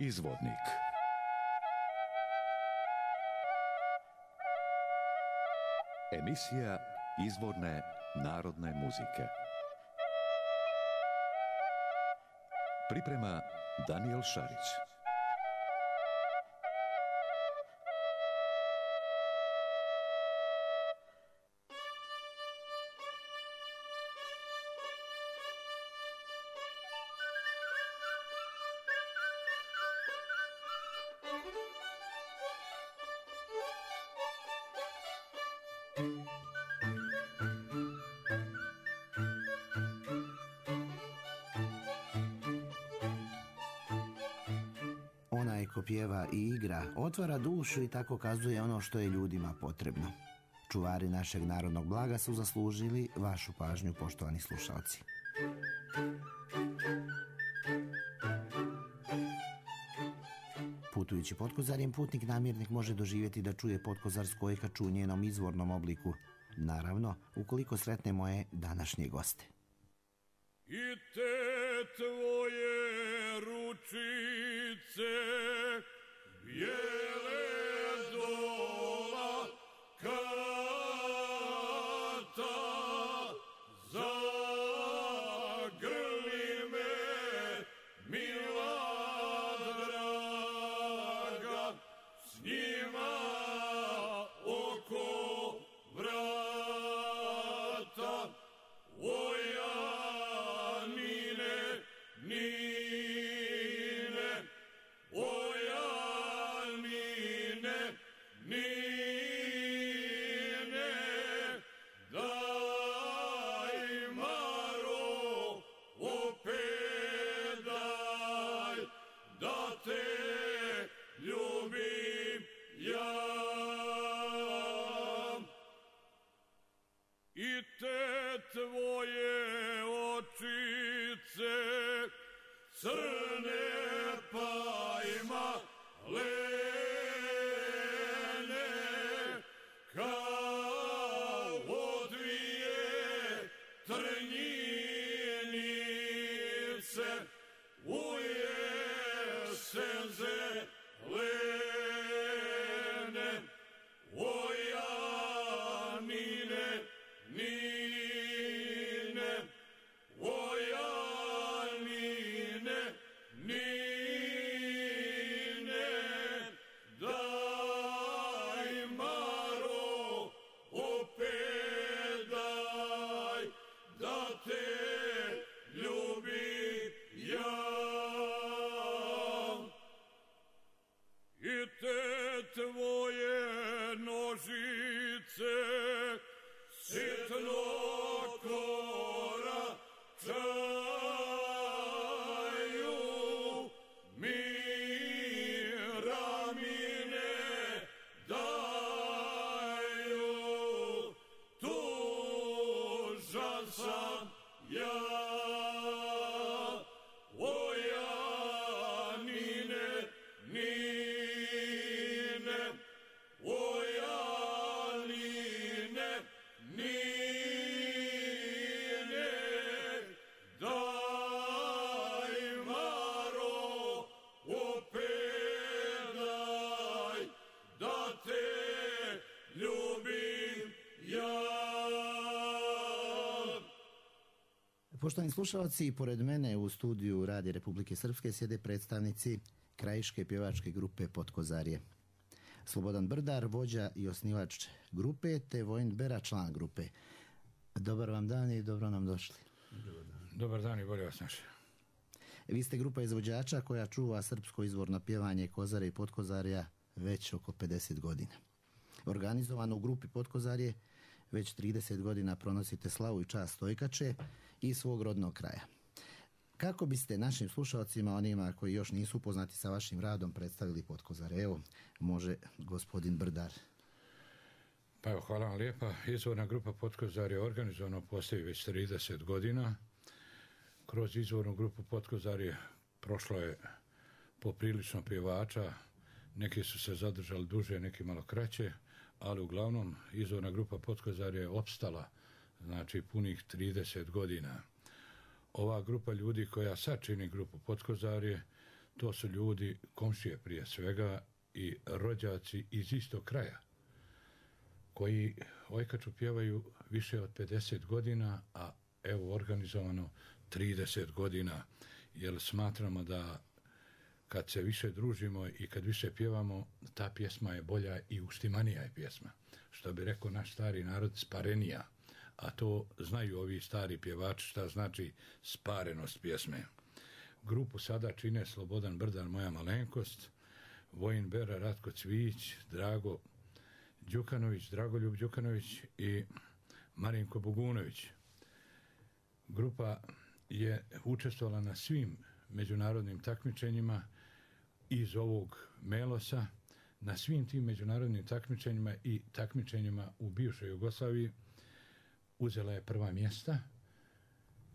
Izvornik. Emisija izvorne narodne muzike. Priprema Daniel Šarić. Onaj ko pjeva i igra, otvara dušu i tako kazuje ono što je ljudima potrebno. Čuvari našeg narodnog blaga su zaslužili vašu pažnju, poštovani slušalci. Putujući Potkozarjem, putnik namirnik može doživjeti da čuje potkozarsku ojkaču u njenom izvornom obliku. Naravno, ukoliko sretne moje današnje goste. I te tvoje ručice bijele dola kata, zagrli me mila draga, s njima oko vrata. I te tvoje očice crne pajma lene, kao dvije trnjinice u jesen zelene. Ojanine Nine, ojanine, nine, daj Maro, opet daj, da te ljubim ja. I te tvoje nožice sitno koračaju mi ramine daju, tužan sam ja. Ojanine Nine, ojanine Nine, daj Maro, opet daj, da te ljubim ja. Poštovani slušalci, pored mene u studiju Radija Republike Srpske sjede predstavnici krajiške pjevačke grupe Potkozarje. Slobodan Brdar, vođa i osnivač grupe, te Vojin Bera, član grupe. Dobar vam dan i dobro nam došli. Dobar dan i bolje vas naše. Vi ste grupa izvođača koja čuva srpsko izvorno pjevanje Kozare i Potkozarja već oko 50 godina. Organizovano u grupi Potkozarje već 30 godina pronosite slavu i čast ojkače i svog rodnog kraja. Kako biste našim slušalcima, onima koji još nisu upoznati sa vašim radom, predstavili Potkozare? Evo, može gospodin Brdar. Pa evo, hvala vam lijepa. Izvorna grupa Potkozarje organizovano postoji već 30 godina. Kroz izvornu grupu Potkozarje prošlo je poprilično pjevača, neki su se zadržali duže, neki malo kraće, ali uglavnom izvorna grupa Potkozarje je opstala, znači punih 30 godina. Ova grupa ljudi koja sad čini grupu Potkozarje, to su ljudi, komšije prije svega i rođaci iz istog kraja, koji Ojkaču pjevaju više od 50 godina, a evo organizovano 30 godina, jer smatramo da kad se više družimo i kad više pjevamo, ta pjesma je bolja i uštimanija je pjesma. Što bi rekao naš stari narod, sparenija. A to znaju ovi stari pjevači šta znači sparenost pjesme. Grupu sada čine Slobodan Brdan, moja malenkost, Vojin Bera, Ratko Cvijić, Drago Đukanović, Dragoljub Đukanović i Marinko Bogunović. Grupa je učestvovala na svim međunarodnim takmičenjima iz ovog Melosa, na svim tim međunarodnim takmičenjima i takmičenjima u bivšoj Jugoslaviji uzela je prva mjesta,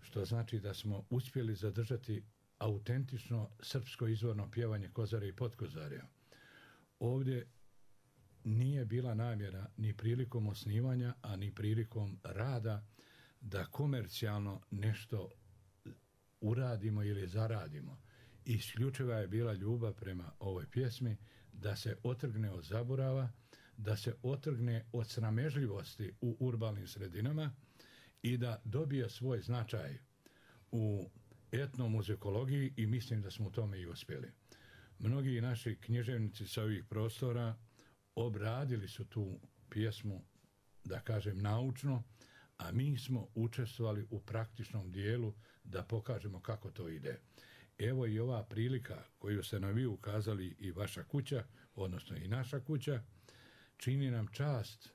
što znači da smo uspjeli zadržati autentično srpsko izvorno pjevanje Kozare i Potkozarja. Ovdje nije bila namjera ni prilikom osnivanja, a ni prilikom rada da komercijalno nešto uradimo ili zaradimo. Isključiva je bila ljubav prema ovoj pjesmi, da se otrgne od zaborava, da se otrgne od sramežljivosti u urbanim sredinama i da dobije svoj značaj u etnomuzikologiji i mislim da smo u tome i uspjeli. Mnogi naši književnici sa ovih prostora obradili su tu pjesmu, da kažem, naučno, a mi smo učestvovali u praktičnom dijelu da pokažemo kako to ide. Evo i ova prilika koju ste nam vi ukazali i vaša kuća, odnosno i naša kuća, čini nam čast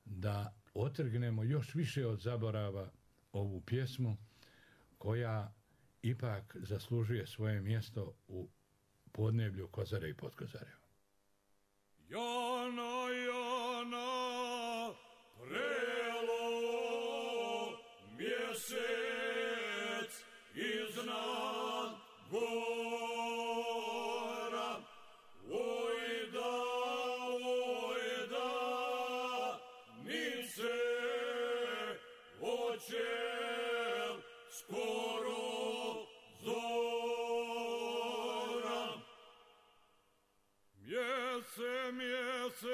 da otrgnemo još više od zaborava ovu pjesmu koja ipak zaslužuje svoje mjesto u podneblju Kozare i Potkozarja. Jana, Jana, prelo mjesec iznad gora, ojda, nice očel skoro zora. Mjesecina,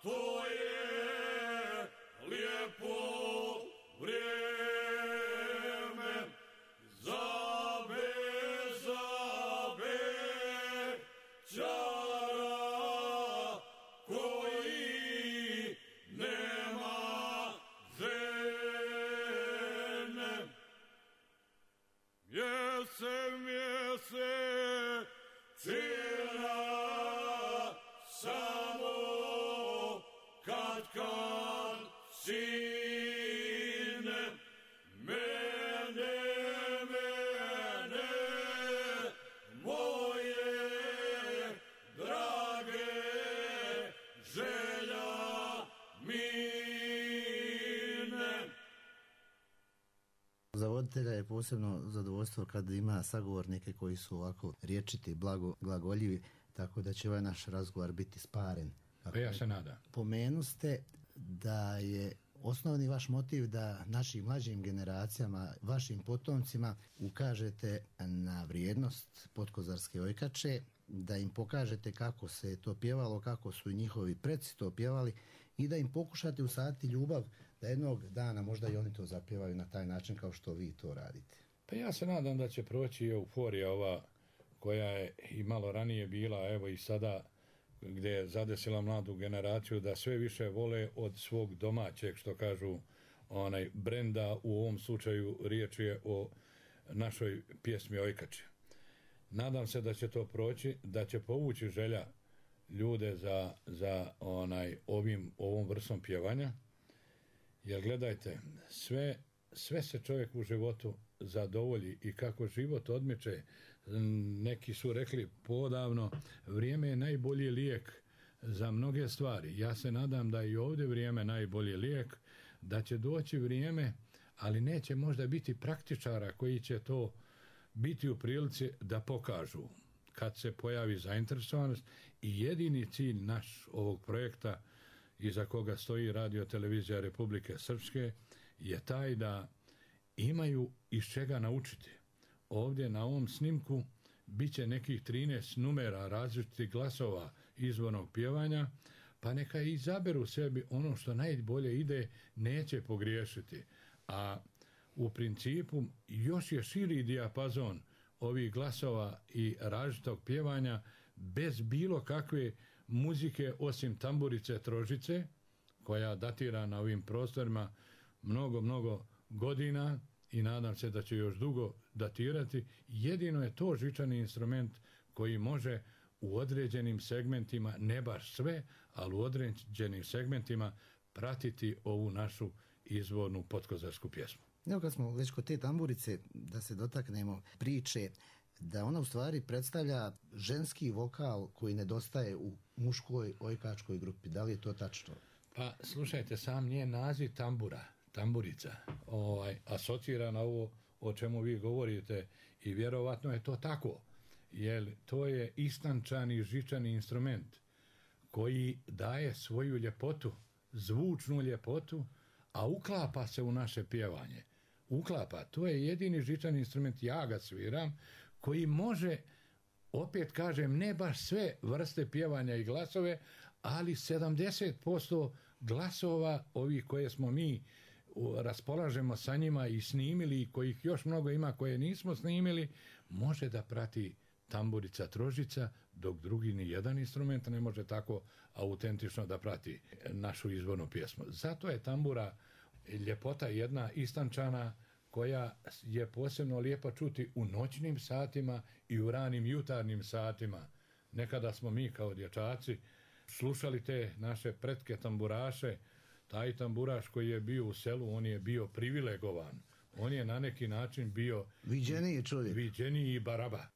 to je lijepo vrijeme, zabe, čara koji nema žene. Mjesecina, samo kad sine mene, moje drage želja mine. Za voditelja je posebno zadovoljstvo kad ima sagovornike koji su ovako riječiti, glagoljivi, tako da će ovaj naš razgovor biti sparen. Pa ja se nadam. Pomenuste da je osnovni vaš motiv da našim mlađim generacijama, vašim potomcima ukažete na vrijednost potkozarske ojkače, da im pokažete kako se to pjevalo, kako su njihovi preci to pjevali i da im pokušate usaditi ljubav da jednog dana možda i oni to zapjevaju na taj način kao što vi to radite. Pa ja se nadam da će proći euforija ova koja je i malo ranije bila, evo i sada gdje je zadesila mladu generaciju da sve više vole od svog domaćeg, što kažu, brenda, u ovom slučaju riječ je o našoj pjesmi Ojkače. Nadam se da će to proći, da će povući želja ljude za ovom vrstom pjevanja, jer gledajte, sve se čovjek u životu zadovolji i kako život odmiče, neki su rekli podavno, vrijeme je najbolji lijek za mnoge stvari. Ja se nadam da i ovdje vrijeme najbolji lijek, da će doći vrijeme, ali neće možda biti praktičara koji će to biti u prilici da pokažu kad se pojavi zainteresovanost. I jedini cilj naš ovog projekta iza koga stoji Radio Televizija Republike Srpske je taj da imaju iz čega naučiti. ovdje na ovom snimku bit će nekih 13 numera različitih glasova izvornog pjevanja, pa neka izaberu sebi ono što najbolje ide, neće pogriješiti. A u principu još je širi dijapazon ovih glasova i različitog pjevanja bez bilo kakve muzike osim tamburice trožice, koja datira na ovim prostorima mnogo godina i nadam se da će još dugo datirati. Jedino je to žičani instrument koji može u određenim segmentima, ne baš sve, ali u određenim segmentima pratiti ovu našu izvornu potkozarsku pjesmu. Evo kad smo već kod te tamburice, da se dotaknemo priče da ona u stvari predstavlja ženski vokal koji nedostaje u muškoj ojkačkoj grupi. Da li je to tačno? Pa slušajte, sam njen naziv tamburica, asocira na ovo o čemu vi govorite i vjerovatno je to tako, jer to je istančani žičani instrument koji daje svoju ljepotu, zvučnu ljepotu, a uklapa se u naše pjevanje. Uklapa, to je jedini žičani instrument, ja ga sviram, koji može, opet kažem, ne baš sve vrste pjevanja i glasove, ali 70% glasova ovih koje smo mi raspolažemo sa njima i snimili i kojih još mnogo ima koje nismo snimili, može da prati tamburica trožica, dok drugi ni jedan instrument ne može tako autentično da prati našu izvornu pjesmu. Zato je tambura ljepota jedna istančana koja je posebno lijepa čuti u noćnim satima i u ranim jutarnjim satima. Nekada smo mi kao dječaci slušali te naše pretke tamburaše. Taj tamburaš koji je bio u selu, on je bio privilegovan. On je na neki način bio viđeniji čovjek. Viđeniji baraba.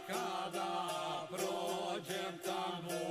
Kada prođem tamo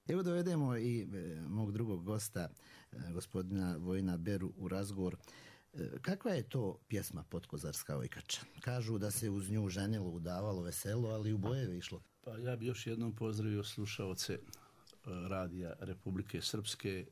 Evo dovedemo i mog drugog gosta, gospodina Vojina Beru, u razgovor. Kakva je to pjesma Potkozarska ojkača? Kažu da se uz nju ženilo, udavalo, veselo, ali u bojeve išlo. Pa ja bi još jednom pozdravio slušaoce radija Republike Srpske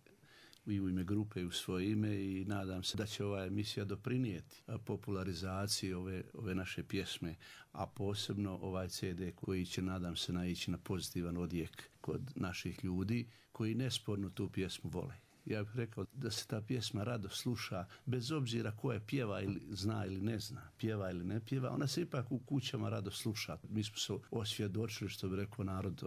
i u ime grupe i u svoje ime i nadam se da će ova emisija doprinijeti popularizaciji ove naše pjesme, a posebno ovaj CD koji će, nadam se, naići na pozitivan odjek kod naših ljudi koji nesporno tu pjesmu vole. Ja bih rekao da se ta pjesma rado sluša bez obzira ko je pjeva ili zna ili ne zna, pjeva ili ne pjeva, ona se ipak u kućama rado sluša. Mi smo se osvjedočili, što bi rekao narod,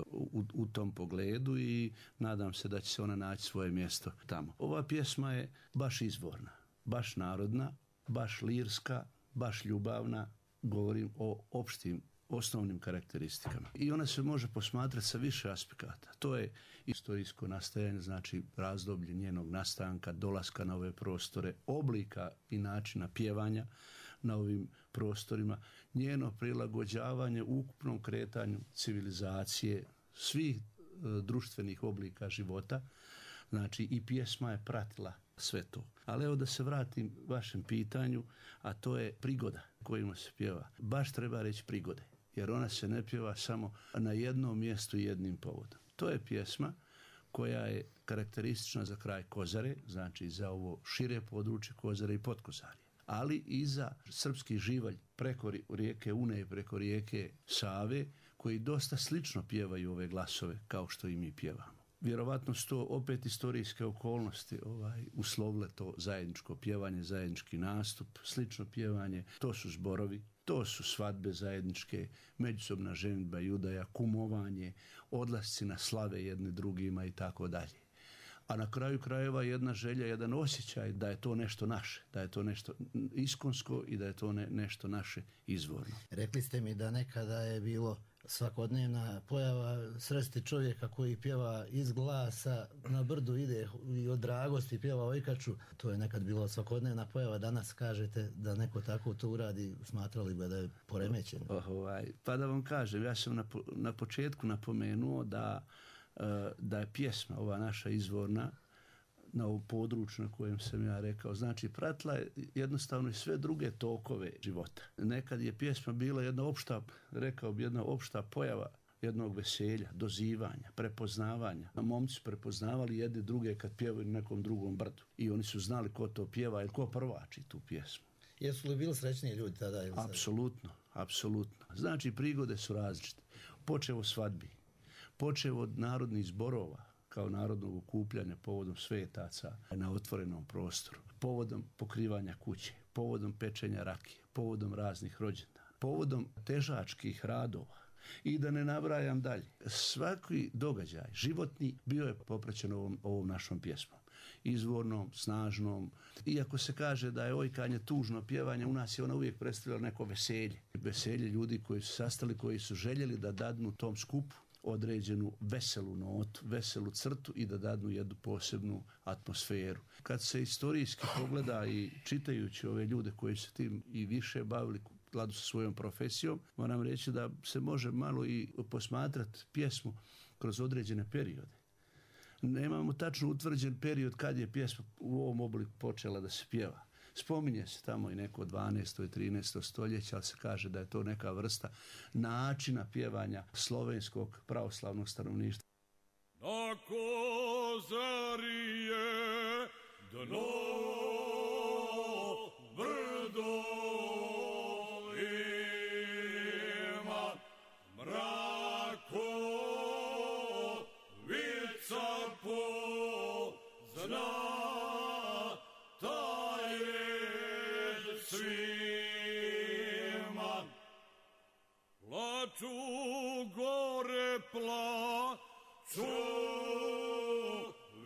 u tom pogledu i nadam se da će se ona naći svoje mjesto tamo. Ova pjesma je baš izvorna, baš narodna, baš lirska, baš ljubavna, govorim o opštim osnovnim karakteristikama. I ona se može posmatrati sa više aspekata. To je istorijsko nastajanje, znači razdoblje njenog nastanka, dolaska na ove prostore, oblika i načina pjevanja na ovim prostorima, njeno prilagođavanje ukupnom kretanju civilizacije, svih društvenih oblika života, znači i pjesma je pratila sve to. Ali evo da se vratim vašem pitanju, a to je prigoda kojima se pjeva. Baš treba reći prigode, jer ona se ne pjeva samo na jednom mjestu i jednim povodom. To je pjesma koja je karakteristična za kraj Kozare, znači za ovo šire područje Kozare i Potkozarje, ali i za srpski živalj preko rijeke Une i preko rijeke Save, koji dosta slično pjevaju ove glasove kao što i mi pjevamo. Vjerovatno su to opet istorijske okolnosti uslovile to zajedničko pjevanje, zajednički nastup, slično pjevanje, to su zborovi, to su svadbe zajedničke, međusobna ženidba i udaja, kumovanje, odlasci na slave jedni drugima i tako dalje. A na kraju krajeva jedna želja, jedan osjećaj da je to nešto naše, da je to nešto iskonsko i da je to nešto naše izvorno. Rekli ste mi da nekada je bilo svakodnevna pojava sresti čovjeka koji pjeva iz glasa, na brdu ide i od dragosti pjeva ojkaču. To je nekad bilo svakodnevna pojava, danas kažete da neko tako to uradi, smatrali bi da je poremećen. Pa da vam kažem, ja sam na početku napomenuo da je pjesma, ova naša izvorna, na ovom području na kojem sam ja rekao, znači pratila je jednostavno i sve druge tokove života. Nekad je pjesma bila jedna opšta pojava jednog veselja, dozivanja, prepoznavanja. Momci prepoznavali jedni druge kad pjevaju na nekom drugom brdu i oni su znali ko to pjeva ili ko prvači tu pjesmu. Jesu li bili srećniji ljudi tada? Apsolutno. Znači prigode su različite. Počev od svadbi, počev od narodnih zborova, kao narodnog okupljanja povodom svetaca na otvorenom prostoru, povodom pokrivanja kuće, povodom pečenja rakije, povodom raznih rođendana, povodom težačkih radova i da ne nabrajam dalje. Svaki događaj životni bio je popraćen ovom našom pjesmom. Izvornom, snažnom. Iako se kaže da je ojkanje tužno pjevanje, u nas je ona uvijek predstavljala neko veselje. Veselje ljudi koji su sastali, koji su željeli da dadnu tom skupu određenu veselu notu, veselu crtu i da dadnu jednu posebnu atmosferu. Kad se istorijski pogleda i čitajući ove ljude koji se tim i više bavili u skladu sa svojom profesijom, moram reći da se može malo i posmatrati pjesmu kroz određene periode. Nemamo tačno utvrđen period kad je pjesma u ovom obliku počela da se pjeva. Spominje se tamo i neko 12. i 13. stoljeća, ali se kaže da je to neka vrsta načina pjevanja slovenskog pravoslavnog stanovništva. Na Kozari je dno brdo ima mrakovica pozna svima. Plaču gore, plaču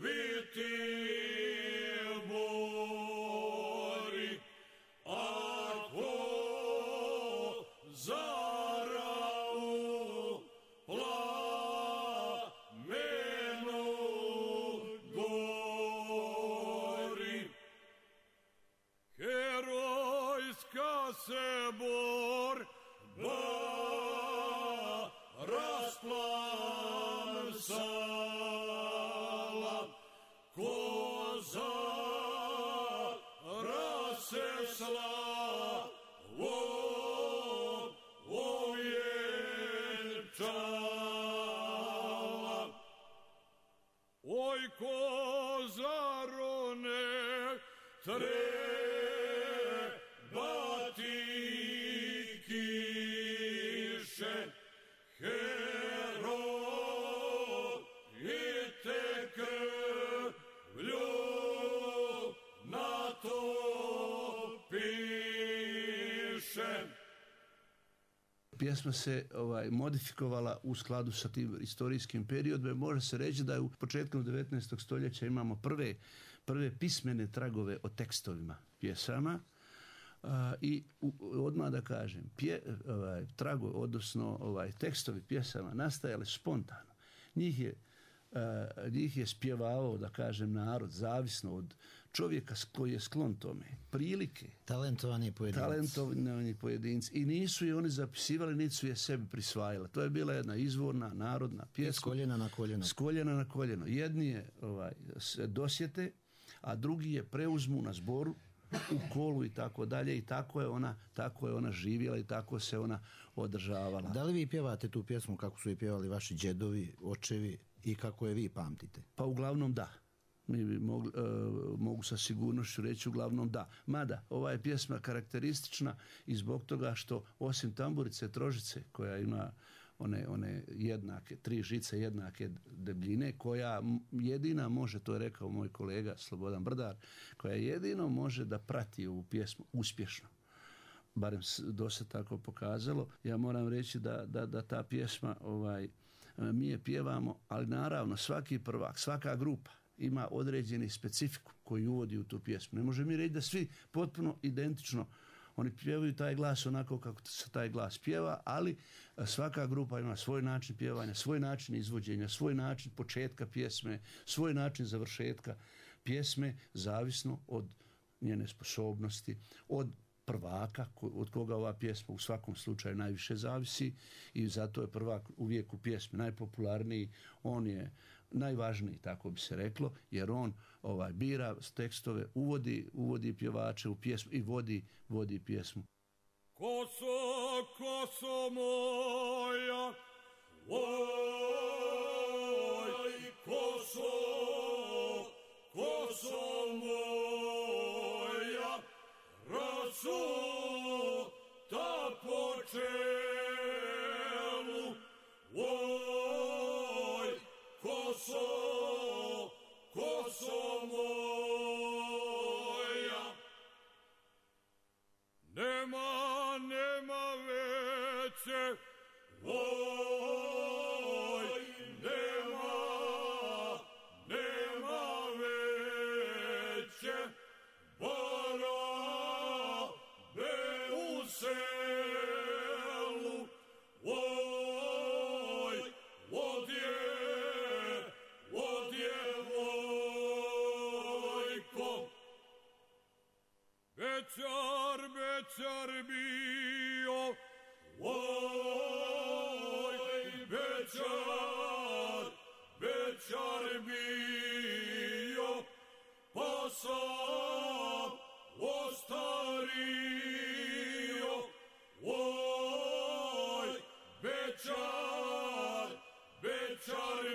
viti bori, ako zarau plamenu gori. Herojska se borba rasplamsa slavom ovjenčala. Oj, Kozarone, treba ti kiše, herojite krvlju na to piše. Pjesma se modifikovala u skladu sa tim istorijskim periodom. Može se reći da u početkom 19. stoljeća imamo prve pismene tragove o tekstovima pjesama. I odmah da kažem, tragovi, odnosno tekstovi pjesama nastajali spontano. Njih je spjevao, da kažem, narod, zavisno od čovjeka koji je sklon tome. Prilike. Talentovani pojedinci. I nisu je oni zapisivali, niti su je sebi prisvajali. To je bila jedna izvorna, narodna pjesma. S koljena na koljeno. S koljena na koljeno. Jedni je se dosjete, a drugi je preuzmu na zboru, u kolu i tako dalje, i tako je ona živjela i tako se ona održavala. Da li vi pjevate tu pjesmu kako su je pjevali vaši džedovi, očevi i kako je vi pamtite? Pa uglavnom da. Mi bi mogu sa sigurnošću reći uglavnom da. Mada, ova je pjesma karakteristična i zbog toga što osim tamburice trožice, koja ima one jednake, 3 žice jednake debljine, koja jedina može, to je rekao moj kolega Slobodan Brdar, koja jedino može da prati ovu pjesmu uspješno. Barem do se tako pokazalo. Ja moram reći da ta pjesma mi je pjevamo, ali naravno svaki prvak, svaka grupa ima određeni specifiku koji uvodi u tu pjesmu. Ne može mi reći da svi potpuno identično oni pjevaju taj glas onako kako se taj glas pjeva, ali svaka grupa ima svoj način pjevanja, svoj način izvođenja, svoj način početka pjesme, svoj način završetka pjesme, zavisno od njene sposobnosti, od prvaka od koga ova pjesma u svakom slučaju najviše zavisi, i zato je prvak uvijek u pjesmi najpopularniji, on je najvažniji, tako bi se reklo, jer on bira tekstove, uvodi pjevače u pjesmu i vodi pjesmu. Koso moja, oj, koso moja, rasuta po čelu, oj, koso moja. Nema veće, oj, nema veće, borabe u selu, oj, odjevojko. Bećar bio, oj, bećar bio, pa sam ostario, oj, bećar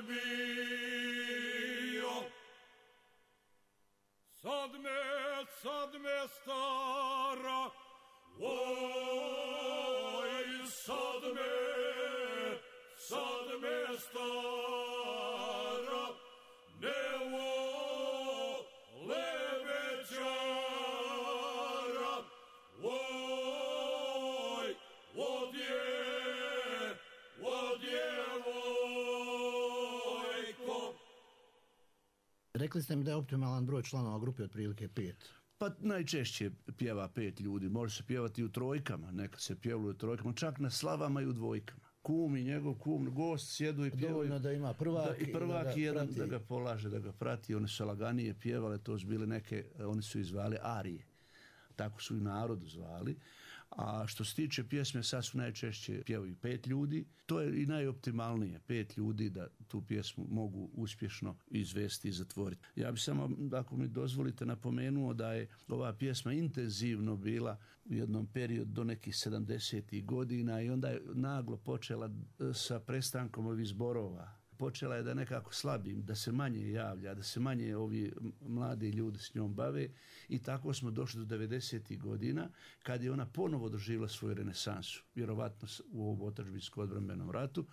bio. Sad me stara, oj, sad me stara, ne vole bećara, oj, odjevojko. Rekli ste mi da je optimalan broj članova grupe otprilike 5. Pa najčešće pjeva 5 ljudi, može se pjevati u trojkama, nekad se pjevalo u trojkama, čak na slavama i u dvojkama. Kum i njegov gost sjedu i pjevaju. Dovoljno da ima prvak i prvak jedan prati. da ga polaže, da ga prati. One su laganije pjevale, to su bile neke, oni su ih zvali arije. Tako su i narodu zvali. A što se tiče pjesme, sad su najčešće pjevaju 5 ljudi. To je i najoptimalnije, 5 ljudi da tu pjesmu mogu uspješno izvesti i zatvoriti. Ja bih samo, ako mi dozvolite, napomenuo da je ova pjesma intenzivno bila u jednom periodu do nekih 70. godina i onda je naglo počela sa prestankom ovih zborova. Počela je da nekako slabim, da se manje javlja, da se manje ovi mladi ljudi s njom bave i tako smo došli do 90. godina kad je ona ponovo doživjela svoju renesansu. Vjerovatno u ovom otadžbinsko-odbrambenom ratu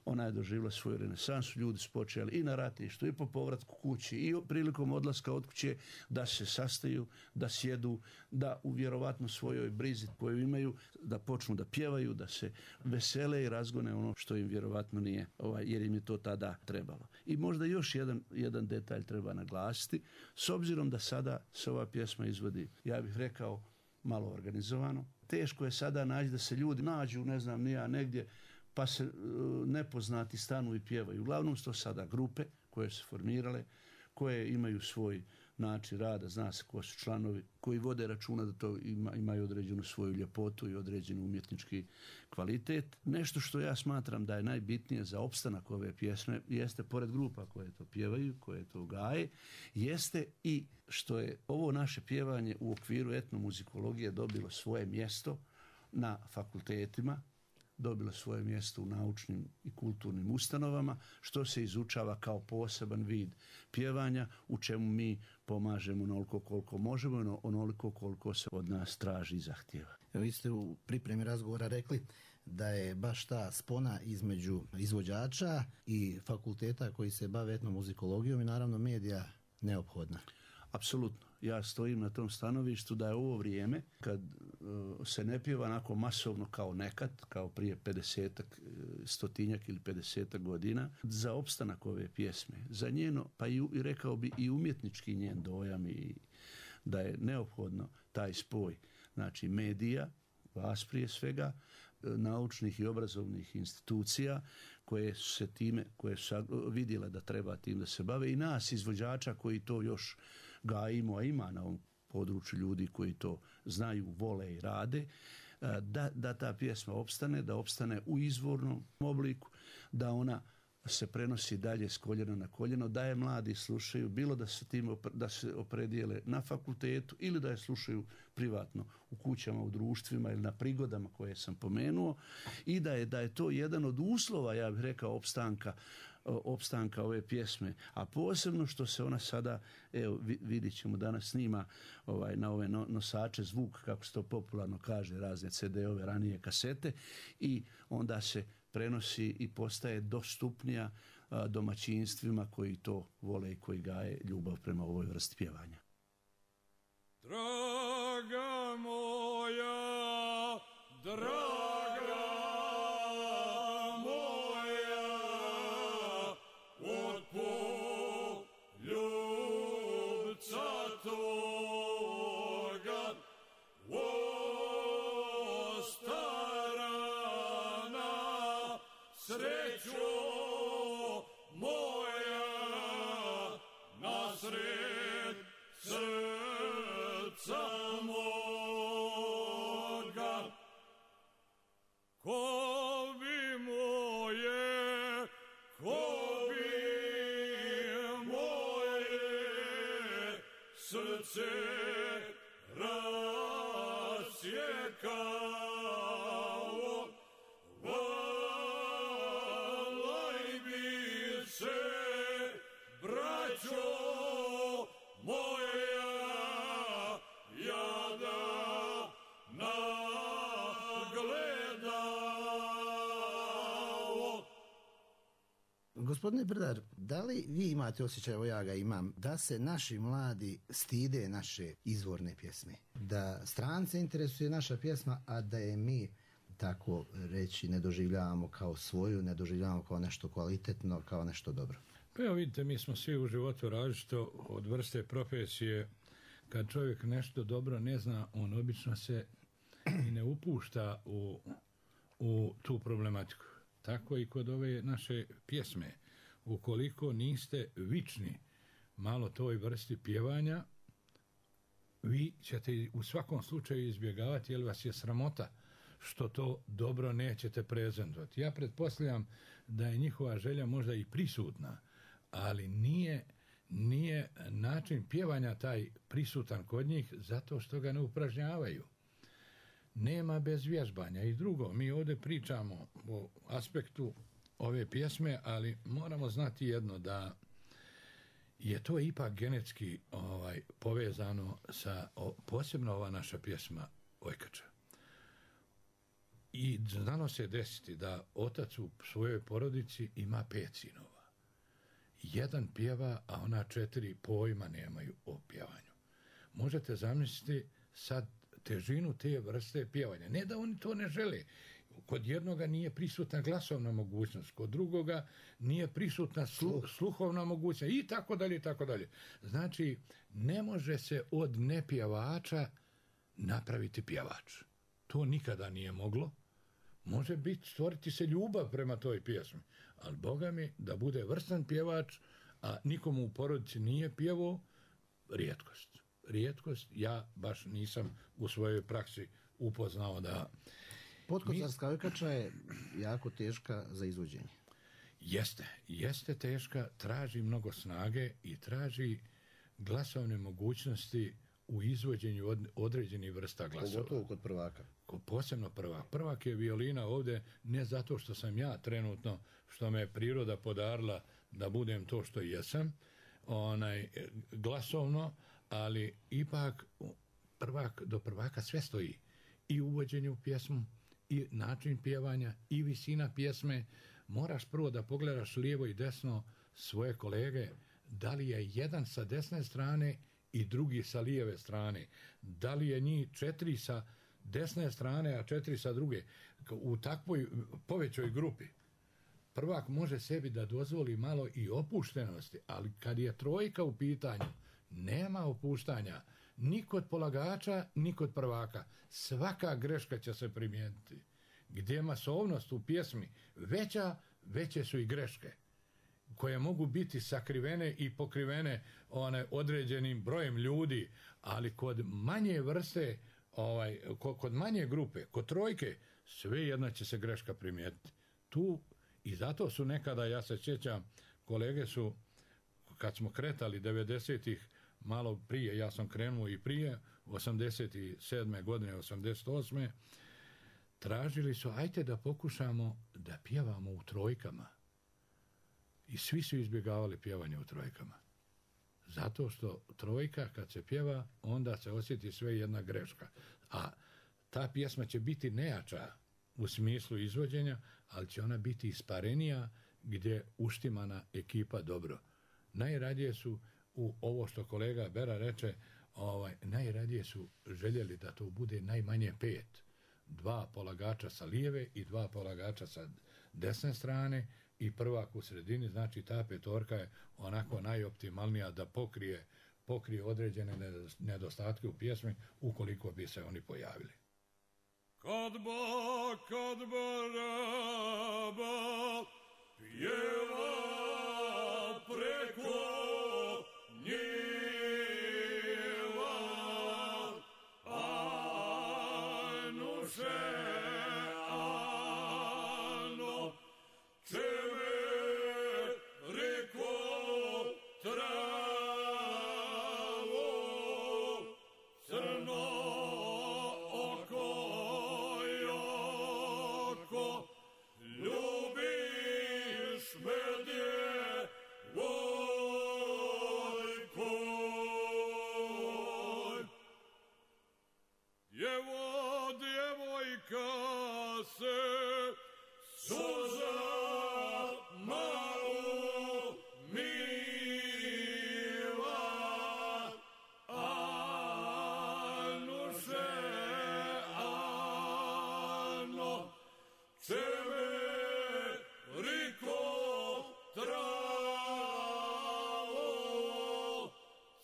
ona je doživjela svoju renesansu, ljudi su počeli i na ratištu i po povratku kući i prilikom odlaska od kuće da se sastaju, da sjedu, da u vjerovatno svojoj brizi koju imaju, da počnu da pjevaju, da se vesele i razgone ono što im vjerovatno nije, jer im je to tada trebalo. I možda još jedan detalj treba naglasiti, s obzirom da sada se ova pjesma izvodi, ja bih rekao, malo organizovano. Teško je sada naći da se ljudi nađu, ne znam, ni ja negdje, pa se nepoznati stanu i pjevaju. Uglavnom su to sada grupe koje su formirale, koje imaju svoj način rada, zna se ko su članovi, koji vode računa da to imaju određenu svoju ljepotu i određeni umjetnički kvalitet. Nešto što ja smatram da je najbitnije za opstanak ove pjesme jeste, pored grupa koje to pjevaju, koje to gaje, jeste i što je ovo naše pjevanje u okviru etnomuzikologije dobilo svoje mjesto na fakultetima, dobilo svoje mjesto u naučnim i kulturnim ustanovama, što se izučava kao poseban vid pjevanja, u čemu mi pomažemo onoliko koliko možemo, onoliko koliko se od nas traži i zahtjeva. Vi ste u pripremi razgovora rekli da je baš ta spona između izvođača i fakulteta koji se bave etnomuzikologijom i naravno medija neophodna. Apsolutno. Ja stojim na tom stanovištu da je ovo vrijeme kad se ne pjeva onako masovno kao nekad, kao prije 50-ak, 100-tinjak ili 50-ak godina, za opstanak ove pjesme, za njeno, pa i rekao bi i umjetnički njen dojam i da je neophodno taj spoj, znači medija, vas prije svega, naučnih i obrazovnih institucija koje su se time, koje su vidjele da treba tim da se bave i nas izvođača koji to još gajimo, a ima na ovom području ljudi koji to znaju, vole i rade, da ta pjesma opstane, da opstane u izvornom obliku, da ona se prenosi dalje s koljena na koljeno, da je mladi slušaju, bilo da se opredijele na fakultetu ili da je slušaju privatno u kućama, u društvima ili na prigodama koje sam pomenuo i da je to jedan od uslova, ja bih rekao, opstanka ove pjesme, a posebno što se ona sada, evo vidit ćemo, danas snima na ove nosače zvuk, kako se to popularno kaže, razne CD-ove, ranije kasete, i onda se prenosi i postaje dostupnija domaćinstvima koji to vole i koji gaje ljubav prema ovoj vrsti pjevanja. Draga moja, draga moja, od poljubca toga, o starana, srećo moja, nasred srca moga. Ko bi moje, ko bi moje srce rasjekao, valaj bi se, braćo moja, jada nagledao. Gospodine Brdar, da li vi imate osjećaj, evo ja ga imam, da se naši mladi stide naše izvorne pjesme? Da strance interesuje naša pjesma, a da je mi, tako reći, ne doživljavamo kao svoju, ne doživljavamo kao nešto kvalitetno, kao nešto dobro? Pa evo vidite, mi smo svi u životu različito od vrste profesije. Kad čovjek nešto dobro ne zna, on obično se i ne upušta u tu problematiku. Tako i kod ove naše pjesme. Ukoliko niste vični malo toj vrsti pjevanja, vi ćete u svakom slučaju izbjegavati, jer vas je sramota što to dobro nećete prezentovati. Ja pretpostavljam da je njihova želja možda i prisutna, ali nije način pjevanja taj prisutan kod njih zato što ga ne upražnjavaju. Nema bez vježbanja. I drugo, mi ovdje pričamo o aspektu ove pjesme, ali moramo znati jedno, da je to ipak genetski povezano sa posebno ova naša pjesma Ojkača. I znalo se desiti da otac u svojoj porodici ima 5 sinova. Jedan pjeva, a ona 4 pojma nemaju o pjevanju. Možete zamisliti sad težinu te vrste pjevanja. Ne da oni to ne žele. Kod jednoga nije prisutna glasovna mogućnost, kod drugoga nije prisutna sluhovna mogućnost i tako dalje, i tako dalje. Znači, ne može se od nepjevača napraviti pjevač. To nikada nije moglo. Može biti, stvoriti se ljubav prema toj pjesmi, ali Boga mi da bude vrstan pjevač, a nikomu u porodici nije pjevao, rijetkost. Ja baš nisam u svojoj praksi upoznao da... Potkozarska Ojkača je jako teška za izvođenje. Jeste teška, traži mnogo snage i traži glasovne mogućnosti u izvođenju određenih vrsta glasova. Pogotovo kod prvaka. Posebno prvak. Prvak je violina ovdje ne zato što sam ja trenutno, što me je priroda podarila da budem to što jesam, glasovno, ali ipak do prvaka sve stoji. I uvođenje u pjesmu, i način pjevanja, i visina pjesme. Moraš prvo da pogledaš lijevo i desno svoje kolege, da li je jedan sa desne strane i drugi sa lijeve strane. Da li je njih 4 sa desne strane, a 4 sa druge. U takvoj povećoj grupi prvak može sebi da dozvoli malo i opuštenosti, ali kad je trojka u pitanju, nema opuštanja ni kod polagača, ni kod prvaka. Svaka greška će se primijeniti. Gdje je masovnost u pjesmi veće su i greške, koje mogu biti sakrivene i pokrivene određenim brojem ljudi, ali kod manje vrste, kod manje grupe, kod trojke, svejedno će se greška primijetiti. Tu i zato su nekada, ja se sjećam, kolege su, kad smo kretali 90-ih, malo prije, ja sam krenuo i prije, 87. godine, 88. tražili su, ajte da pokušamo da pjevamo u trojkama. I svi su izbjegavali pjevanje u trojkama. Zato što trojka, kad se pjeva, onda se osjeti sve jedna greška. A ta pjesma će biti nejača u smislu izvođenja, ali će ona biti isparenija gdje uštimana ekipa dobro. Najradije su, u ovo što kolega Bera reče, najradije su željeli da to bude najmanje 5. 2 polagača sa lijeve i 2 polagača sa desne strane i prvak u sredini, znači ta petorka je onako najoptimalnija da pokrije određene nedostatke u pjesmi ukoliko bi se oni pojavili. Kad baraba pjeva preko njeva, anuše, ano, čeve reko travo, crno oko joko, ljubiš me djevojko. Jevo djevojka se suza malo mila, anuše, ano, čeve riko travo,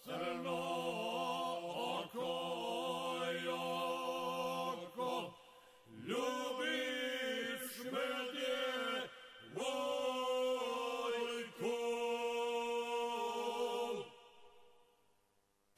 crno oko joko, ljubiš me djevojko.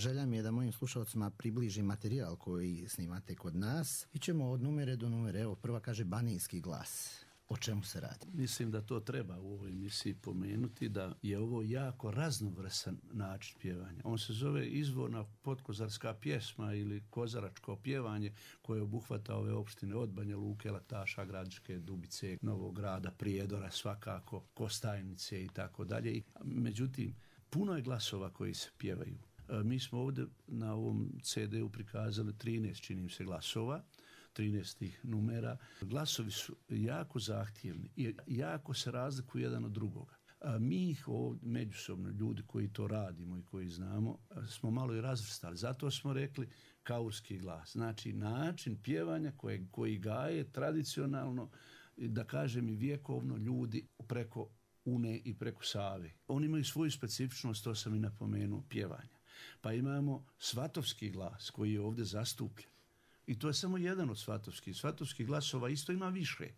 Želja mi je da mojim slušalcima približim materijal koji snimate kod nas. Ićemo od numere do numere. Evo, prva kaže Banijski glas. O čemu se radi? Mislim da to treba u ovoj emisiji pomenuti, da je ovo jako raznovrsan način pjevanja. On se zove izvorna potkozarska pjesma ili kozaračko pjevanje koje obuhvata ove opštine od Banja Luke, Lataša, Gradiške, Dubice, Novog Grada, Prijedora, svakako, Kostajnice i tako dalje. Međutim, puno je glasova koji se pjevaju. Mi smo ovdje na ovom CD-u prikazali 13, čini mi se, glasova, 13 numera. Glasovi su jako zahtjevni i jako se razlikuju jedan od drugoga. Mi ih ovdje međusobno, ljudi koji to radimo i koji znamo, smo malo i razvrstali. Zato smo rekli kaurski glas. Znači način pjevanja koji gaje tradicionalno, da kažem i vjekovno, ljudi preko Une i preko Save. Oni imaju svoju specifičnost, to sam i napomenuo, pjevanja. Pa imamo svatovski glas koji je ovdje zastupljen. I to je samo jedan od svatovskih. Svatovskih glasova isto ima više.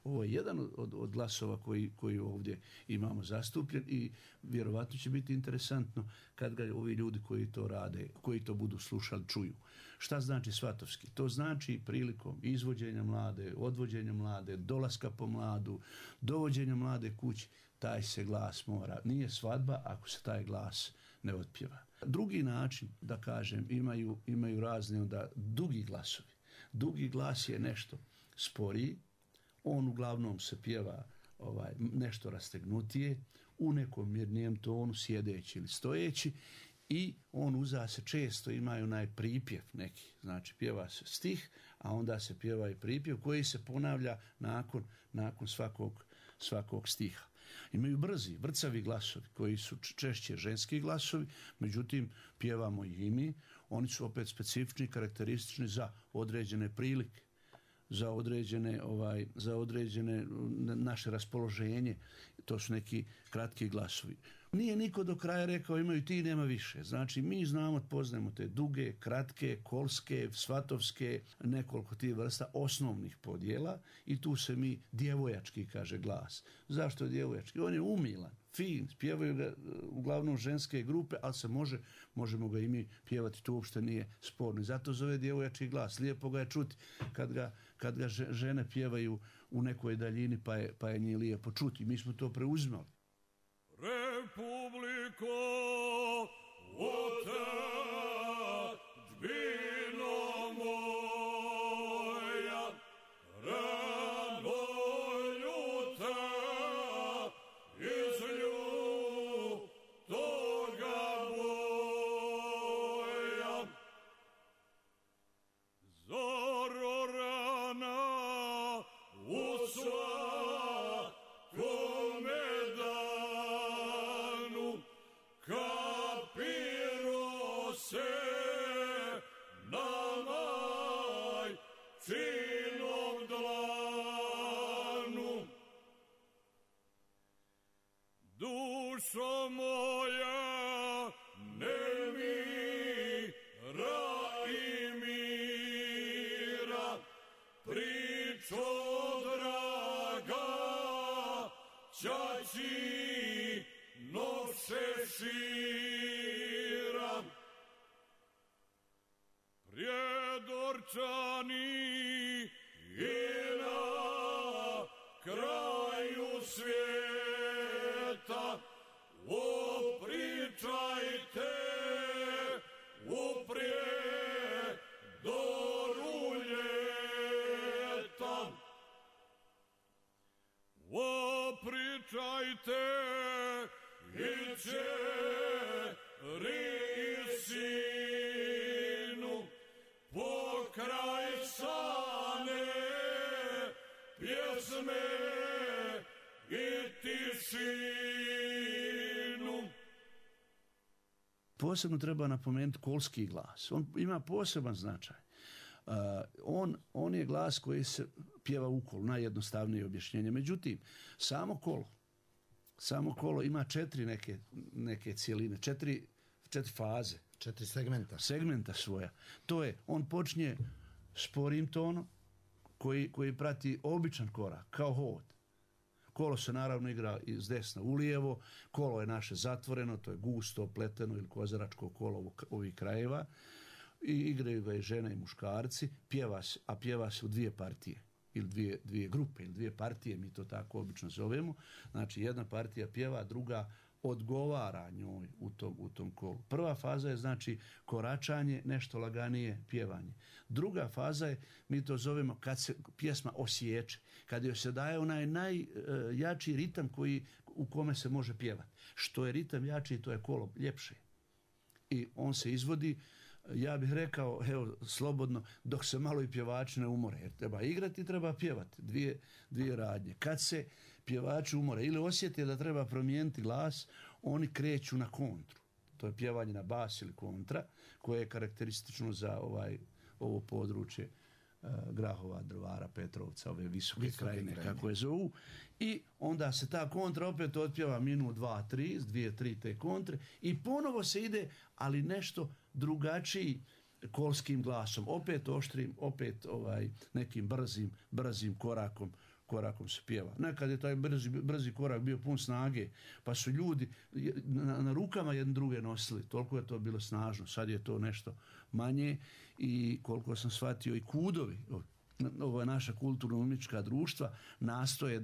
Ovo je jedan od glasova koji ovdje imamo zastupljen i vjerovatno će biti interesantno kad ga ovi ljudi koji to rade, koji to budu slušali, čuju. Šta znači svatovski? To znači prilikom izvođenja mlade, odvođenja mlade, dolaska po mladu, dovođenja mlade kući, taj se glas mora. Nije svadba ako se taj glas ne otpjeva. Drugi način, da kažem, imaju razne onda dugi glasovi. Dugi glas je nešto sporiji, on uglavnom se pjeva nešto rastegnutije, u nekom mirnijem tonu, sjedeći ili stojeći, i on uza se često imaju onaj pripjev neki, znači pjeva se stih, a onda se pjeva i pripjev koji se ponavlja nakon svakog stiha. Imaju brzi, vrcavi glasovi koji su češće ženski glasovi, međutim pjevamo i mi. Oni su opet specifični, karakteristični za određene prilike, za određene naše raspoloženje. To su neki kratki glasovi. Nije niko do kraja rekao imaju ti, nema više. Znači mi poznajemo te duge, kratke, kolske, svatovske, nekoliko tih vrsta osnovnih podjela i tu se mi djevojački kaže glas. Zašto je djevojački? On je umilan, fin, pjevaju ga uglavnom ženske grupe, ali možemo ga i mi pjevati, to uopšte nije sporno. I zato zove djevojački glas. Lijepo ga je čuti kad ga žene pjevaju u nekoj daljini pa je nije lijepo čuti. Mi smo to preuzimali. Republiko, otadžbino moja, rano ljuta iz ljutoga boja. Zoro rana u svakome danu, kapiro se na majčinom dlanu. Dušo moja nemira i mira, pričo draga ćaći noše šira. Prijedorčani i na kraju svijeta, opričajte u Prijedoru ljeta. Opričajte i čeri i sinu, pokraj sane pjesme i tišinu. Posebno treba napomenuti kolski glas. On ima poseban značaj. On je glas koji se pjeva u kolu, najjednostavnije objašnjenje. Međutim, samo kolo ima 4 neke cijeline, 4 faze. 4 Segmenta svoja. To je, on počinje sporim tonom koji prati običan korak, kao hod. Kolo se naravno igra iz desna u lijevo, kolo je naše zatvoreno, to je gusto, pleteno ili kozaračko kolo ovih krajeva. I igraju ga i žene i muškarci, pjeva se u dvije partije ili dvije grupe ili dvije partije, mi to tako obično zovemo. Znači jedna partija pjeva, druga odgovara njoj u tom kolu. Prva faza je znači koračanje, nešto laganije pjevanje. Druga faza je, mi to zovemo kad se pjesma osječe, kad joj se daje onaj najjači ritam u kome se može pjevati. Što je ritam jači, to je kolo ljepše. I on se izvodi, ja bih rekao, evo, slobodno, dok se malo i pjevači ne umore, jer treba igrati i treba pjevati, dvije radnje. Kad se pjevači umore ili osjete da treba promijeniti glas, oni kreću na kontru. To je pjevanje na bas ili kontra, koje je karakteristično za ovo područje Grahova, Drvara, Petrovca, ove visoke krajine, kako je zovu. I onda se ta kontra opet otpjeva minut, 2, 3, 2, 3 te kontre i ponovo se ide, ali nešto drugačiji kolskim glasom. Opet oštrim, opet nekim brzim korakom se pjeva. Nekad je taj brzi korak bio pun snage, pa su ljudi na rukama jedne druge nosili. Toliko je to bilo snažno. Sad je to nešto manje i koliko sam shvatio i kudovi, ovo je naša kulturno-umjetnička društva, nastoje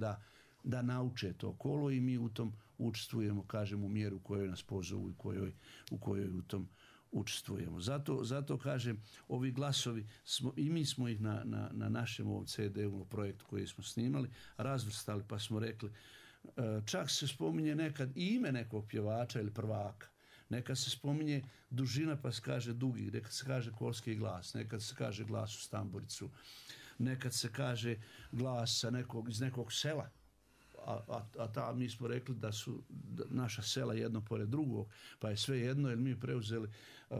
da nauče to kolo i mi u tom učestvujemo, kažem, u mjeru u kojoj nas pozovu i u kojoj u tom učestvujemo. Zato kažem, ovi glasovi, i mi smo ih na našem ovom CD-u projektu koji smo snimali, razvrstali pa smo rekli, čak se spominje nekad i ime nekog pjevača ili prvaka. Nekad se spominje dužina pa se kaže dugi, nekad se kaže kolski glas, nekad se kaže glas u stamburicu, nekad se kaže glas iz nekog sela. A mi smo rekli da su naša sela jedno pored drugog, pa je sve jedno, jer mi preuzeli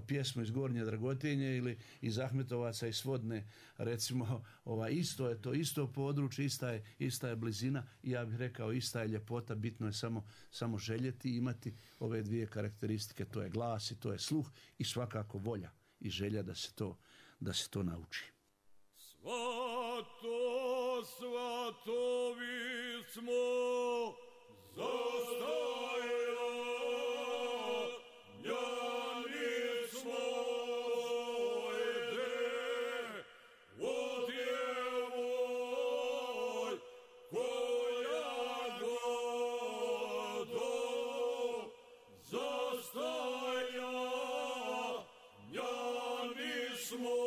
pjesmu iz Gornje Dragotinje ili iz Ahmetovaca i Svodne, recimo, isto je to, isto područje, ista je blizina i ja bih rekao ista je ljepota, bitno je samo željeti i imati ove dvije karakteristike, to je glas i to je sluh i svakako volja i želja da se to nauči. Svatovi smo zastajali, njani smo ide od djevoj koja godo zastaja, njani smo.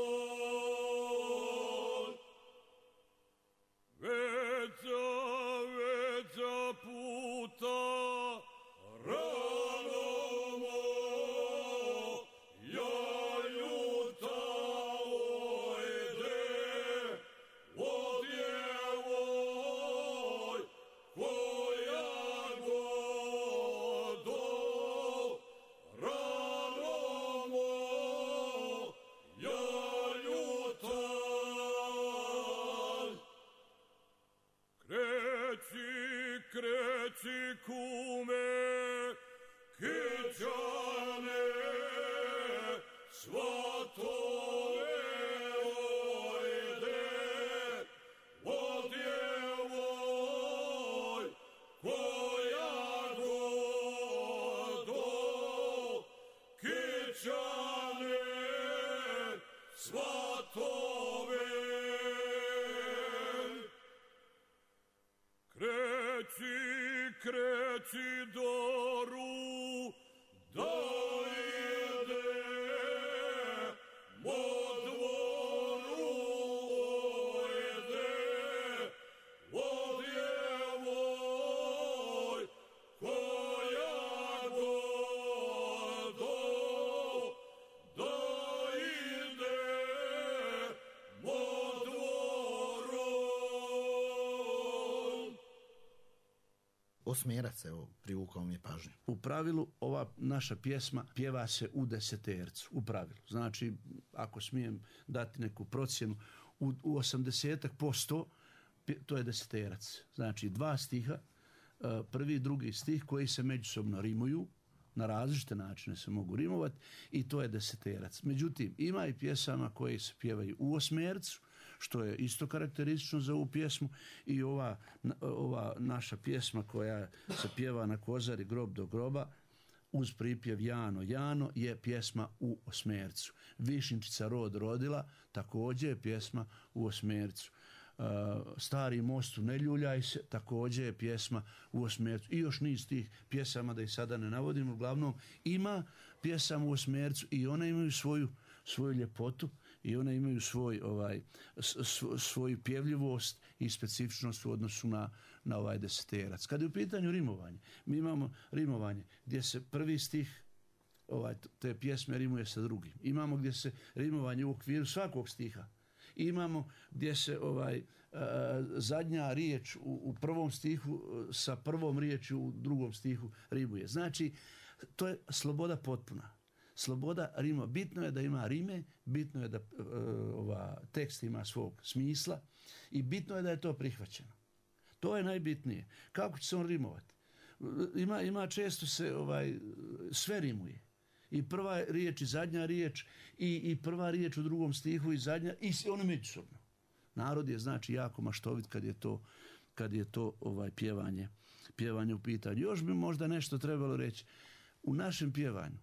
Kreci kume, kičane, svatove ojde, od djevoj koja godo, kičane, svatove. Kreci doru, da ide, mo dvoru ojde, od djevoj koja godo, da ide, mo dvoru. Osmjerac, evo, privukao mi je pažnju. U pravilu, ova naša pjesma pjeva se u desetercu, u pravilu. Znači, ako smijem dati neku procjenu, u 80% to je deseterac. Znači, 2 stiha, prvi i drugi stih koji se međusobno rimuju, na različite načine se mogu rimovati i to je deseterac. Međutim, ima i pjesama koje se pjevaju u osmercu, što je isto karakteristično za ovu pjesmu, i ova naša pjesma koja se pjeva na Kozari grob do groba uz pripjev Jano, Jano je pjesma u osmercu. Višnjičica rod rodila također je pjesma u osmercu. Stari mostu ne ljuljaj se također je pjesma u osmercu, i još niz tih pjesama da ih sada ne navodim. Uglavnom ima pjesama u osmercu i one imaju svoju ljepotu i one imaju svoju pjevljivost i specifičnost u odnosu na ovaj deseterac. Kad je u pitanju rimovanje, mi imamo rimovanje gdje se prvi stih te pjesme rimuje sa drugim. Imamo gdje se rimovanje u okviru svakog stiha. Imamo gdje se zadnja riječ u prvom stihu sa prvom riječju u drugom stihu rimuje. Znači, to je sloboda potpuna. Sloboda rima. Bitno je da ima rime, bitno je da tekst ima svog smisla i bitno je da je to prihvaćeno. To je najbitnije. Kako će se on rimovati? Ima često se sve rimuje. I prva riječ i zadnja riječ i prva riječ u drugom stihu i zadnja i ono međusobno. Narod je znači jako maštovit kad je to pjevanje u pitanju. Još bi možda nešto trebalo reći. U našem pjevanju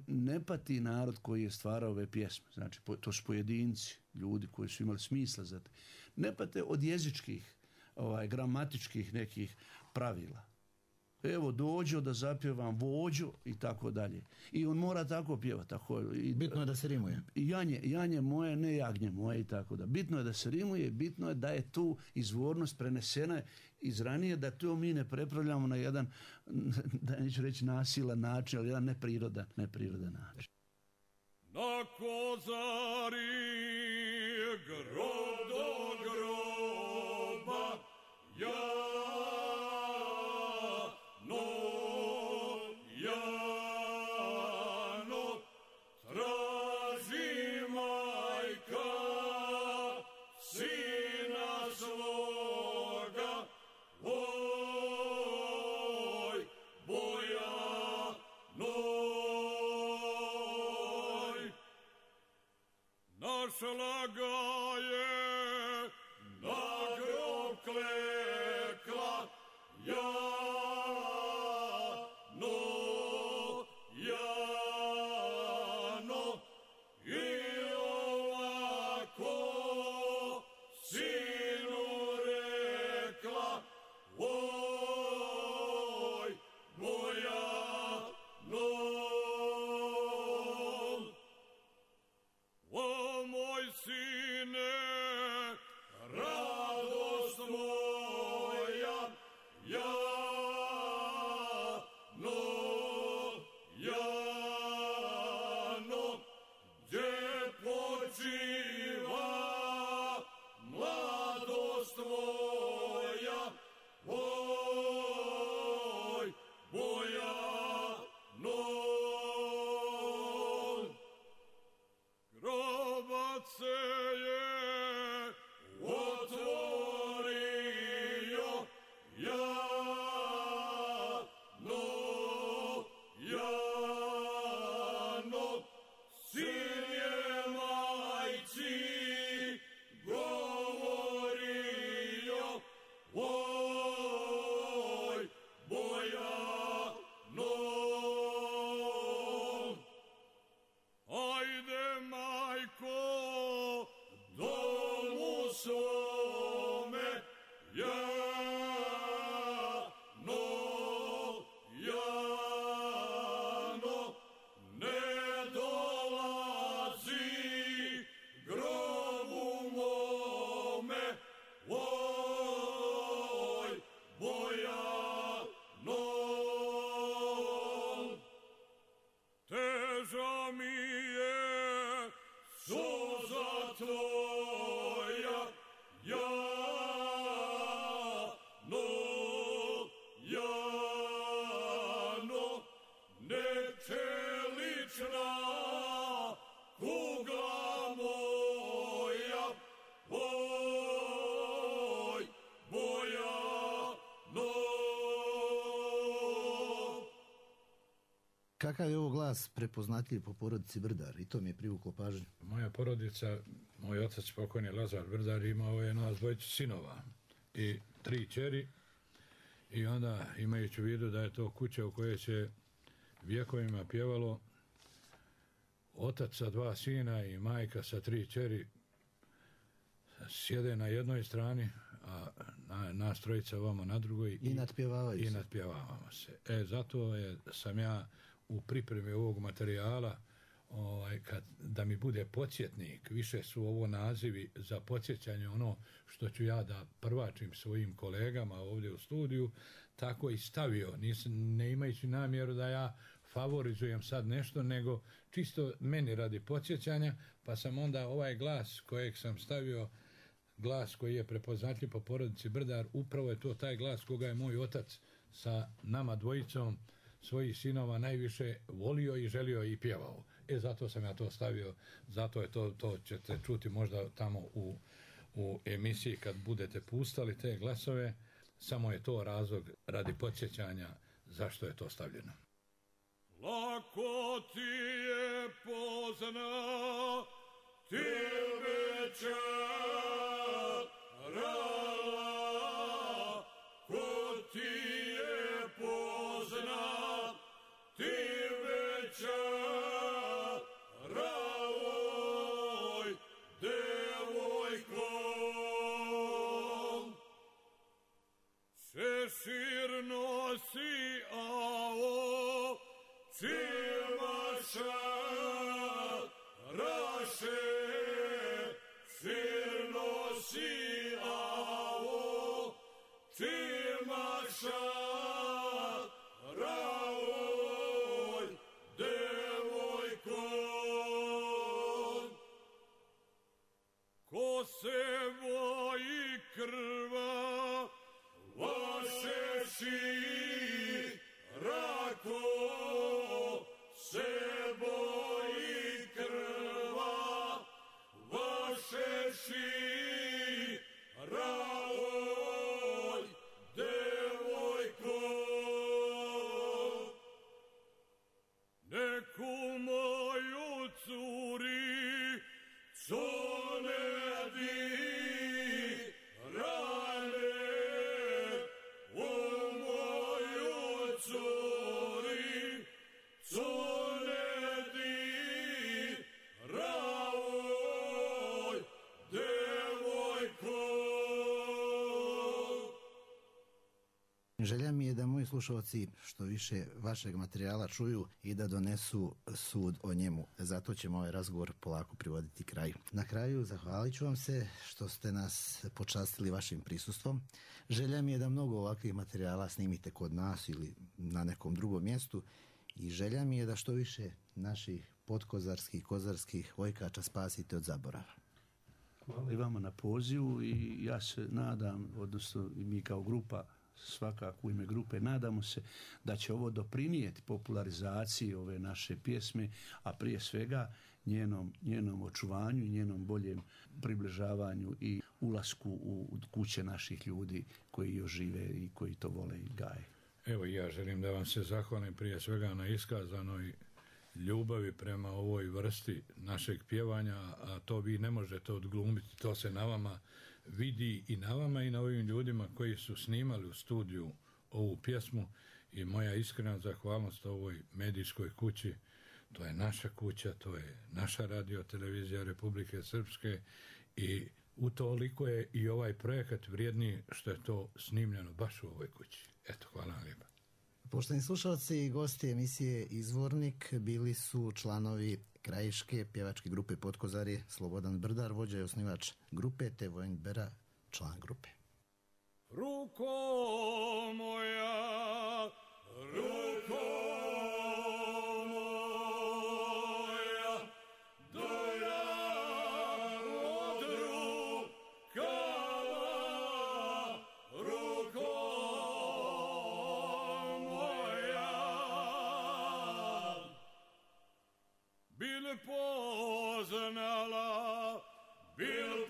ne pati narod koji je stvarao ove pjesme. Znači, to su pojedinci, ljudi koji su imali smisla za to. Ne pate od jezičkih, gramatičkih nekih pravila. Evo, dođo da zapjevam vođo i tako dalje. I on mora tako pjevati. Bitno je da se rimuje. Janje moje, ne jagnje moje i tako da. Bitno je da se rimuje, bitno je da je tu izvornost prenesena iz ranije, da to mi ne prepravljamo na jedan, da neću reći nasilan način, ali jedan neprirodan način. Na Kozari grob do groba našla ga je na grob kleča. Kakav je ovo glas prepoznatljiv po porodici Brdar? I to mi je privuklo pažnju. Moja porodica, moj otac pokojni Lazar Brdar imao je nas dvojicu sinova i 3 kćeri i onda imajući u vidu da je to kuća u kojoj se vjekovima pjevalo, otac sa 2 sina i majka sa 3 kćeri sjede na jednoj strani, a nas trojica ovamo na drugoj I nadpjevavaju i se. nadpjevavamo se. Zato sam ja u pripremi ovog materijala da mi bude podsjetnik, više su ovo nazivi za podsjećanje ono što ću ja da prvačim svojim kolegama ovdje u studiju, tako i stavio, ne imajući namjeru da ja favorizujem sad nešto, nego čisto meni radi podsjećanja, pa sam onda ovaj glas kojeg sam stavio, glas koji je prepoznatljiv po porodici Brdar, upravo je to taj glas koga je moj otac sa nama dvojicom svojih sinova najviše volio i želio i pjevao. Zato sam ja to stavio, zato je to ćete čuti možda tamo u emisiji kad budete pustali te glasove, samo je to razlog radi podsjećanja zašto je to stavljeno. Lako ti je pozna, tebe čarala, ko ti je pozna, tebe čarala, oj, devojko. Šešir nosi, ao, Cimaša raše, sir nosi, ao, Cimaša raoj, devojko. Ko se boji krva, vaše rako, se boji krva, vaše raoj, devojko. Neku moju curi, co ne di rane, u moju curi, co ne di raoj, devojko. Želja mi je da moji slušalci što više vašeg materijala čuju i da donesu sud o njemu. Zato ćemo ovaj razgovor polako privoditi kraju. Na kraju zahvalit ću vam se što ste nas počastili vašim prisustvom. Želja mi je da mnogo ovakvih materijala snimite kod nas ili na nekom drugom mjestu i želja mi je da što više naših potkozarskih, kozarskih vojkača spasite od zaborava. Hvala i vama na pozivu i ja se nadam, odnosno i mi kao grupa, svakako u ime grupe, nadamo se da će ovo doprinijeti popularizaciji ove naše pjesme, a prije svega njenom očuvanju i njenom boljem približavanju i ulasku u kuće naših ljudi koji još žive i koji to vole i gaje. Evo ja želim da vam se zahvalim prije svega na iskazanoj ljubavi prema ovoj vrsti našeg pjevanja, a to vi ne možete odglumiti, to se na vama vidi i na vama i na ovim ljudima koji su snimali u studiju ovu pjesmu i moja iskrena zahvalnost ovoj medijskoj kući. To je naša kuća, to je naša radiotelevizija Republike Srpske i utoliko je i ovaj projekat vrijedniji što je to snimljeno baš u ovoj kući. Eto, hvala vam lijepa. Poštovani slušalci i gosti emisije Izvornik bili su članovi krajiške pjevačke grupe Potkozarje Slobodan Brdar, vođa i osnivač grupe, te Vojin Bera, član grupe. Ruko moja, ruko moja, do ja od rukava, ruko moja, bil poznala, bil